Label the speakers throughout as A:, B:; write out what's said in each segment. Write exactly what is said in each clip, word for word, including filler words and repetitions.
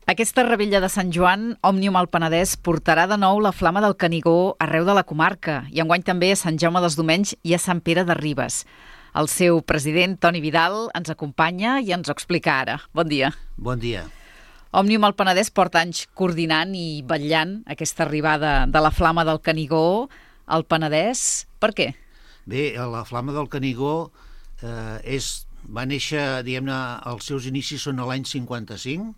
A: Aquesta revetlla de Sant Joan, Òmnium al Penedès portarà de nou la flama del Canigó arreu de la comarca i enguany també a Sant Jaume dels Domenys i a Sant Pere de Ribes. El seu president, Toni Vidal, ens acompanya i ens ho explica ara. Bon dia.
B: Bon dia.
A: Òmnium al Penedès porta anys coordinant i vetllant aquesta arribada de la flama del Canigó al Penedès. Per què?
B: Bé, la flama del Canigó eh, és, va néixer, diguem-ne, els seus inicis són a l'any cinquanta-cinc,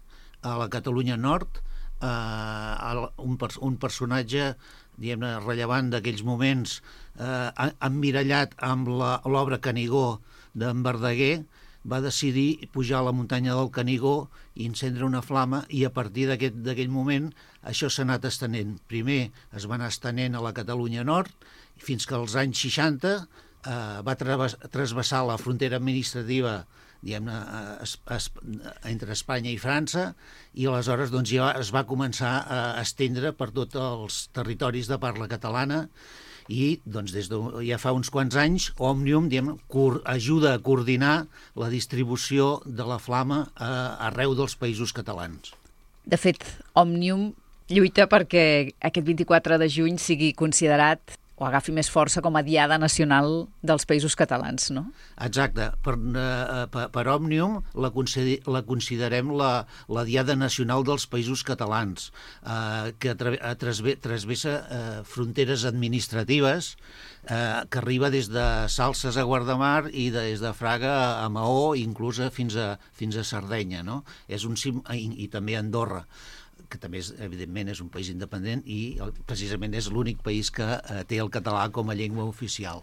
B: a la Catalunya Nord, eh, un, un personatge, diguem-ne, rellevant d'aquells moments, eh, emmirallat amb l'obra Canigó d'en Verdaguer, va decidir pujar a la muntanya del Canigó i encendre una flama, i a partir d'aquell moment això s'ha anat estenent. Primer es va anar estenent a la Catalunya Nord, fins que als anys seixanta eh, va trasbassar la frontera administrativa, diguem-ne, entre Espanya i França, i aleshores doncs, ja es va començar a estendre per tots els territoris de parla catalana, i doncs, des de ja fa uns quants anys Òmnium, diguem, ajuda a coordinar la distribució de la flama eh, arreu dels països catalans.
A: De fet, Òmnium lluita perquè aquest vint-i-quatre de juny sigui considerat o agafi més força com a Diada Nacional dels Països Catalans, no?
B: Exacte. Per, eh, per, per Òmnium la, consider, la considerem la, la Diada Nacional dels Països Catalans, eh, que trasvessa eh, fronteres administratives, eh, que arriba des de Salses a Guardamar i des de Fraga a Maó, inclús fins a, fins a Sardenya, no? És un sim, i, i també Andorra, que també, és, evidentment, és un país independent i precisament és l'únic país que eh, té el català com a llengua oficial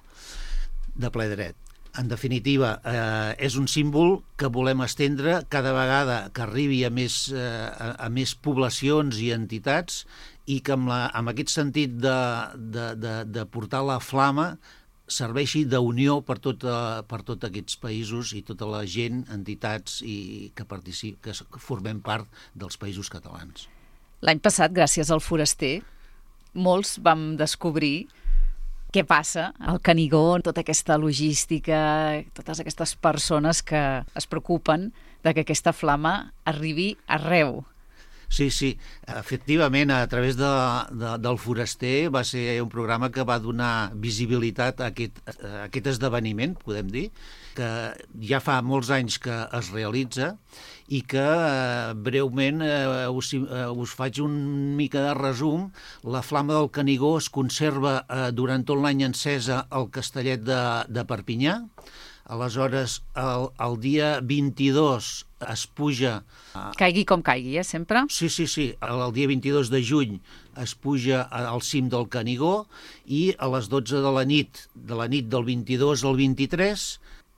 B: de ple dret. En definitiva, eh, és un símbol que volem estendre cada vegada que arribi a més, eh, a, a més poblacions i entitats, i que amb, la, amb aquest sentit de, de, de, de portar la flama serveixi d'unió per, tot, per tots aquests països i tota la gent, entitats i que, particip, que formem part dels països catalans.
A: L'any passat, gràcies al Foraster, molts vam descobrir què passa al Canigó, tota aquesta logística, totes aquestes persones que es preocupen de que aquesta flama arribi arreu.
B: Sí, sí, efectivament, a través de, de, del Foraster va ser un programa que va donar visibilitat a aquest, a aquest esdeveniment, podem dir, que ja fa molts anys que es realitza i que eh, breument eh, us, eh, us faig un mica de resum. La flama del Canigó es conserva eh, durant tot l'any encesa al Castellet de, de Perpinyà. Aleshores, el, el dia vint-i-dos es puja...
A: Caigui com caigui, eh, sempre?
B: Sí, sí, sí. El dia vint-i-dos de juny es puja al cim del Canigó i a les dotze de la nit, de la nit del vint-i-dos al vint-i-tres,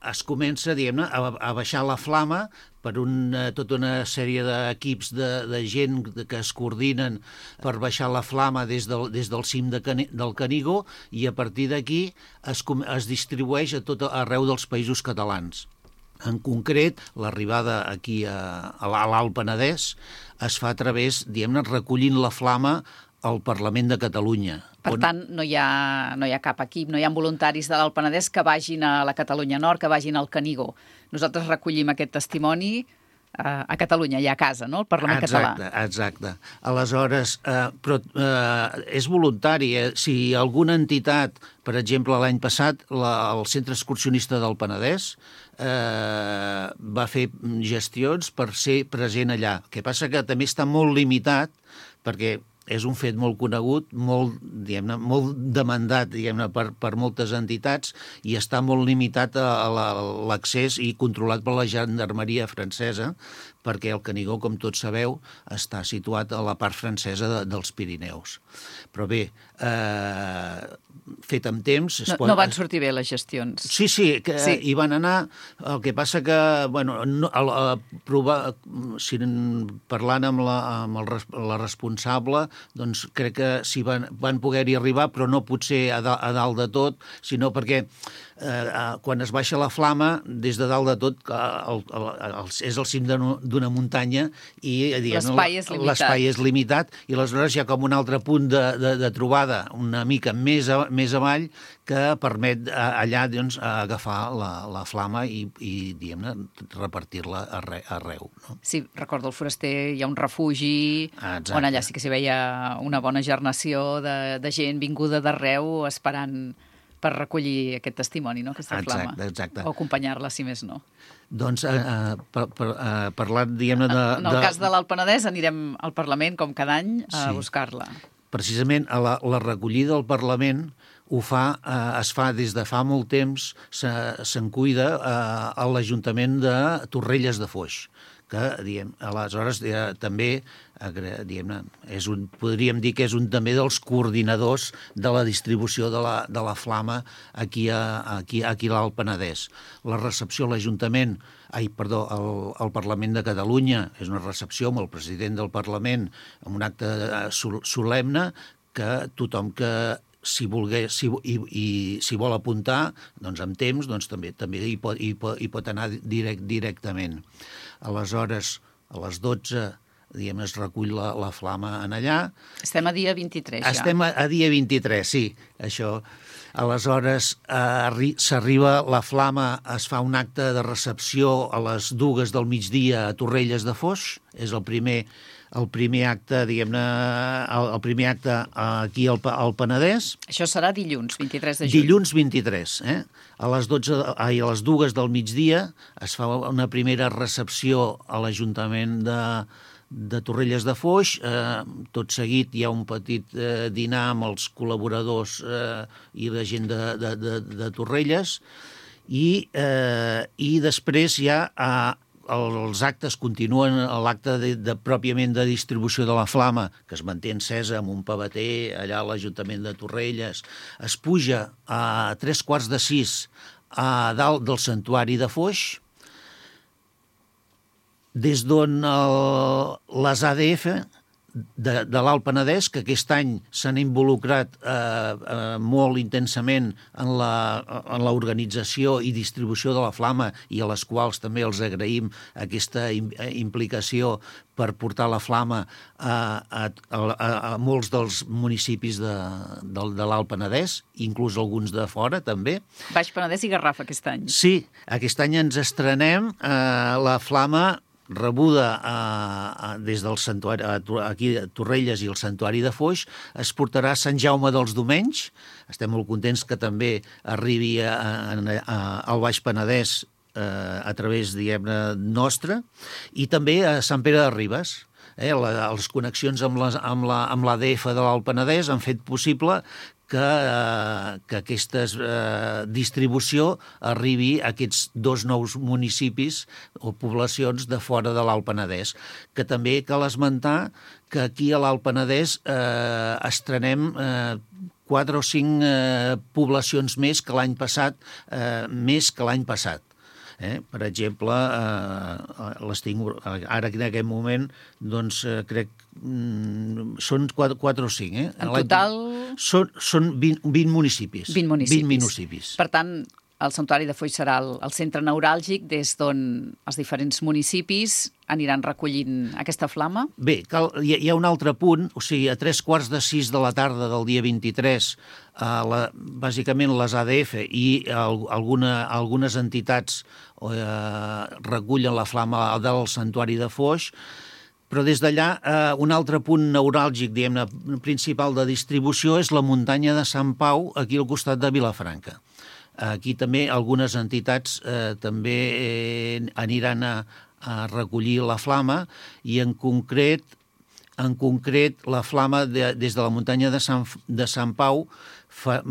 B: es comença, diguem-ne, a, a baixar la flama per una, tota una sèrie d'equips de, de gent que es coordinen per baixar la flama des del, des del cim de Cani, del Canigó, i a partir d'aquí es, es distribueix a tot arreu dels països catalans. En concret, l'arribada aquí a, a l'Alt Penedès es fa a través, diguem-ne, recollint la flama al Parlament de Catalunya.
A: Per
B: on...
A: tant, no hi, ha, no hi ha cap equip, no hi ha voluntaris de l'Alt Penedès que vagin a la Catalunya Nord, que vagin al Canigó. Nosaltres recollim aquest testimoni a, a Catalunya, allà a casa, no?, al Parlament
B: exacte,
A: català.
B: Exacte. Aleshores, eh, però, eh, és voluntari. Eh? Si alguna entitat, per exemple, l'any passat, la, el Centre Excursionista del Penedès eh, va fer gestions per ser present allà. El que passa que també està molt limitat, perquè és un fet molt conegut, molt, diguem-ne, molt demandat, diguem-ne, per, per moltes entitats, i està molt limitat a l'accés i controlat per la gendarmeria francesa, perquè el Canigó, com tots sabeu, està situat a la part francesa de, dels Pirineus. Però bé, eh, fet amb temps...
A: No, pot... no van sortir bé les gestions.
B: Sí, sí, que
A: sí.
B: Hi van anar. El que passa que, bueno, no, a, a provar, si parlant amb, la, amb el, la responsable, doncs crec que s'hi van, van poder-hi arribar, però no potser a, da, a dalt de tot, sinó perquè eh, quan es baixa la flama, des de dalt de tot, el, el, el, és el cim d'una muntanya i
A: l'espai és limitat.
B: L'espai és limitat i aleshores hi ha com un altre punt de, de, de trobada una mica més, a, més avall que permet allà doncs, agafar la, la flama i, i diguem-ne, repartir-la arre, arreu. No?
A: Sí, recordo, al Foraster hi ha un refugi Exacte. On allà sí que s'hi veia una bona gernació de, de gent vinguda d'arreu esperant per recollir aquest testimoni, no? Aquesta flama.
B: Exacte, exacte.
A: O acompanyar-la, si més no.
B: Doncs, eh, per, per, eh, parlant, diguem-ne... De,
A: en el
B: de...
A: cas de l'Alt Penedès anirem al Parlament, com cada any, a sí. buscar-la.
B: Precisament a la, la recollida al Parlament ho fa, eh, es fa des de fa molt temps, se'n se cuida eh, a l'Ajuntament de Torrelles de Foix, que, diguem, aleshores eh, també, eh, diguem-ne, és un, podríem dir que és un també dels coordinadors de la distribució de la, de la flama aquí a, aquí, aquí a l'Alt Penedès. La recepció a l'Ajuntament, ai, perdó, al, al Parlament de Catalunya és una recepció amb el president del Parlament, amb un acte solemne que tothom que si volgués, si, i, i si vol apuntar, doncs amb temps, doncs també també hi pot, hi pot, hi pot anar direct, directament. Aleshores, a les dotze, diguem, es recull la, la flama en allà.
A: Estem a dia vint-i-tres, ja.
B: Estem a, a dia vint-i-tres, sí, això. Aleshores, eh, s'arriba la flama, es fa un acte de recepció a les dues del migdia a Torrelles de Foix, és el primer el primer acte, diguem-ne, el, el primer acte aquí al, al Penedès.
A: Això serà dilluns, vint-i-tres de juny.
B: Dilluns vint-i-tres, eh? A les dotze, ai, a les dues del migdia es fa una primera recepció a l'Ajuntament de, de Torrelles de Foix. Eh, tot seguit hi ha un petit eh, dinar amb els col·laboradors eh, i la gent de, de, de, de Torrelles i, eh, i després hi ha... Eh, els actes continuen, l'acte de, de, pròpiament de distribució de la flama, que es manté encesa amb un pavater allà a l'Ajuntament de Torrelles, es puja a tres quarts de sis a dalt del santuari de Foix, des d'on les A D F de, de l'Alt Penedès, que aquest any s'han involucrat eh, eh, molt intensament en la, en l'organització i distribució de la flama i a les quals també els agraïm aquesta implicació per portar la flama a, a, a, a molts dels municipis de, de, de l'Alt Penedès, inclús alguns de fora també.
A: Baix Penedès i Garraf aquest any.
B: Sí, aquest any ens estrenem eh, la flama rebuda a, a, des del santuari, a, aquí a Torrelles i el santuari de Foix, es portarà a Sant Jaume dels Domenys. Estem molt contents que també arribi a, a, a, al Baix Penedès eh, a través, diguem-ne, nostre, i també a Sant Pere de Ribes. Eh, la, les connexions amb, les, amb, la, amb l'A D F de l'Alt Penedès han fet possible que, eh, que aquesta eh, distribució arribi a aquests dos nous municipis o poblacions de fora de l'Alt Penedès, que també cal esmentar que aquí a l'Alt Penedès eh, estrenem eh, quatre o cinc eh, poblacions més que l'any passat, eh, més que l'any passat. Eh? Per exemple, eh, les tinc, ara en aquest moment, doncs eh, crec mm, són quatre o cinc. Eh?
A: En total...
B: Són, són vint, vint municipis.
A: vint municipis.
B: vint municipis.
A: Per tant, el Santuari de Foix serà el, el centre neuràlgic des d'on els diferents municipis aniran recollint aquesta flama?
B: Bé, cal, hi, hi ha un altre punt, o sigui, a tres quarts de sis de la tarda del dia vint-i-tres, eh, la, bàsicament les A D F i el, alguna, algunes entitats eh, recullen la flama del Santuari de Foix, però des d'allà eh, un altre punt neuràlgic, diguem-ne, principal de distribució és la muntanya de Sant Pau, aquí al costat de Vilafranca. Aquí també algunes entitats eh, també eh, aniran a, a recollir la flama i en concret, en concret la flama de, des de la muntanya de Sant, de Sant Pau, fa,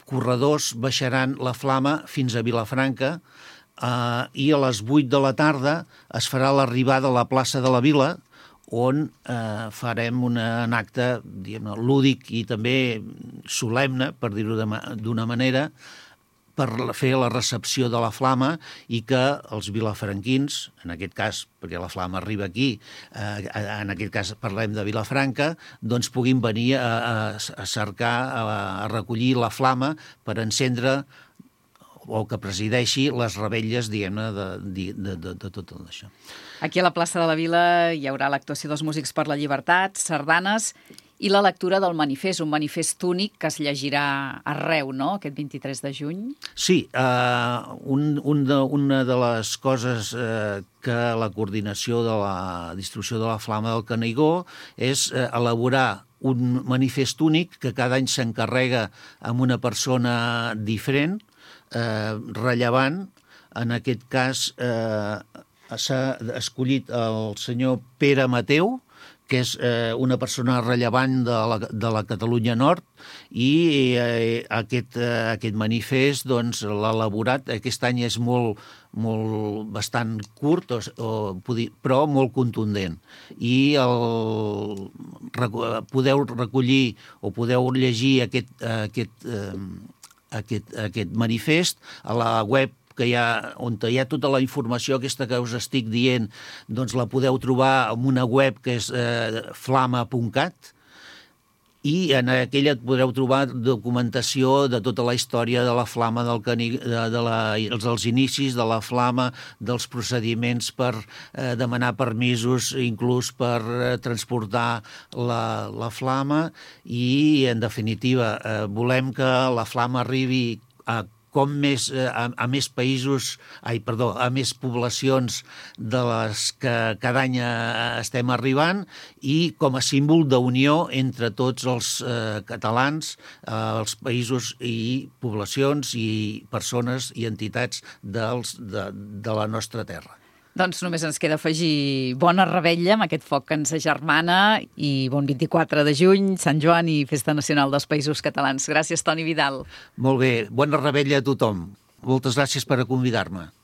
B: corredors baixaran la flama fins a Vilafranca eh, i a les vuit de la tarda es farà l'arribada a la plaça de la Vila, on eh, farem una, un acte, diguem-ne, lúdic i també solemne, per dir-ho d'una manera, per fer la recepció de la flama i que els vilafranquins, en aquest cas, perquè la flama arriba aquí, eh, en aquest cas parlem de Vilafranca, doncs puguin venir a, a, a cercar, a, a recollir la flama per encendre o que presideixi les revetlles, diguem-ne, de, de, de, de, de tot això.
A: Aquí a la plaça de la Vila hi haurà l'actuació dels Músics per la Llibertat, sardanes i la lectura del manifest, un manifest únic que es llegirà arreu, no?, aquest vint-i-tres de juny.
B: Sí, eh, un, un de, una de les coses eh, que la coordinació de la distribució de la Flama del Canigó és eh, elaborar un manifest únic que cada any s'encarrega amb una persona diferent, eh, rellevant. En aquest cas eh, s'ha escollit el senyor Pere Mateu, que és eh, una persona rellevant de la, de la Catalunya Nord, i eh, aquest, eh, aquest manifest doncs, l'ha elaborat. Aquest any és molt, molt bastant curt, o, o, però molt contundent. I el, podeu recollir o podeu llegir aquest, aquest, eh, aquest, aquest manifest a la web que hi ha, on hi ha tota la informació aquesta que us estic dient, doncs la podeu trobar en una web que és eh, flama punt cat, i en aquella podreu trobar documentació de tota la història de la Flama del Canigó, de, de la, dels inicis de la Flama, dels procediments per eh, demanar permisos, inclús per eh, transportar la, la Flama, i en definitiva eh, volem que la Flama arribi a com més, a, a més països, ai, perdó, a més poblacions de les que cada any estem arribant, i com a símbol d'unió entre tots els eh, catalans, eh, els països i poblacions i persones i entitats dels, de, de la nostra terra.
A: Doncs només ens queda afegir bona revetlla amb aquest foc que ens agermana i bon vint-i-quatre de juny, Sant Joan i Festa Nacional dels Països Catalans. Gràcies, Toni Vidal.
B: Molt bé, bona revetlla a tothom. Moltes gràcies per convidar-me.